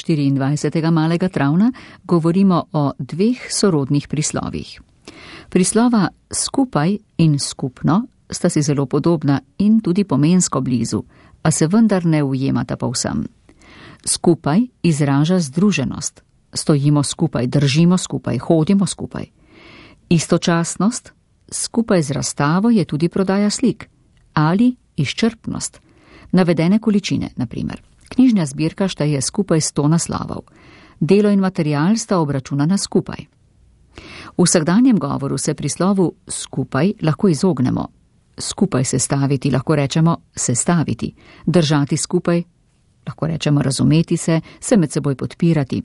24. malega travna govorimo o dveh sorodnih prislovih. Prislova skupaj in skupno sta si zelo podobna in tudi pomensko blizu, a se vendar ne ujemata povsem. Skupaj izraža združenost. Stojimo skupaj, držimo skupaj, hodimo skupaj. Istočasnost, skupaj z razstavo je tudi prodaja slik. Ali izčrpnost. Navedene količine, na primer. Knjižna zbirka šteje skupaj 100 naslovov. Delo in material sta obračunana skupaj. V vsakdanjem govoru se prislovu skupaj lahko izognemo. Skupaj sestaviti, lahko rečemo sestaviti. Držati skupaj, lahko rečemo razumeti se med seboj podpirati.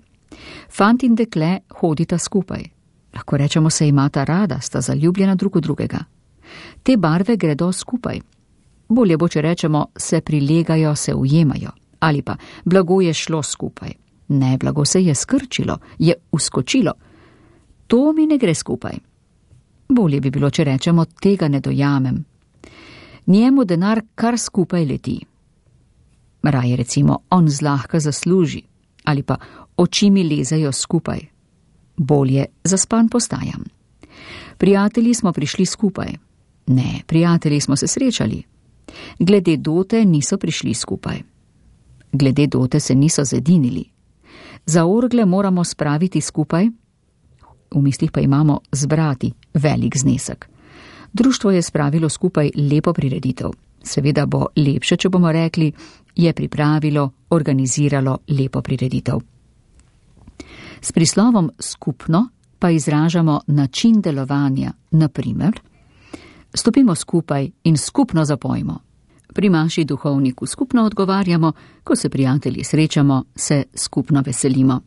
Fant in dekle hodita skupaj. Lahko rečemo se imata rada, sta zaljubljena drug v drugega. Te barve gredo skupaj. Bolje bo, če rečemo se prilegajo, se ujemajo. Ali pa blago je šlo skupaj. Ne, blago se je skrčilo, je uskočilo. To mi ne gre skupaj. Bolje bi bilo, če rečemo tega ne dojamem. Njemu denar kar skupaj leti. Raje recimo on zlahka zasluži. Ali pa oči mi lezejo skupaj. Bolje zaspan postajam. Prijatelji smo prišli skupaj. Ne, prijatelji smo se srečali. Glede dote niso prišli skupaj. Glede dote se niso zedinili. Za orgle moramo spraviti skupaj, v mislih pa imamo zbrati velik znesek. Društvo je spravilo skupaj lepo prireditev. Seveda bo lepše, če bomo rekli, je pripravilo, organiziralo lepo prireditev. S prislovom skupno pa izražamo način delovanja, na primer, stopimo skupaj in skupno zapojmo. Pri maši duhovniku skupno odgovarjamo, ko se prijatelji srečamo, se skupno veselimo.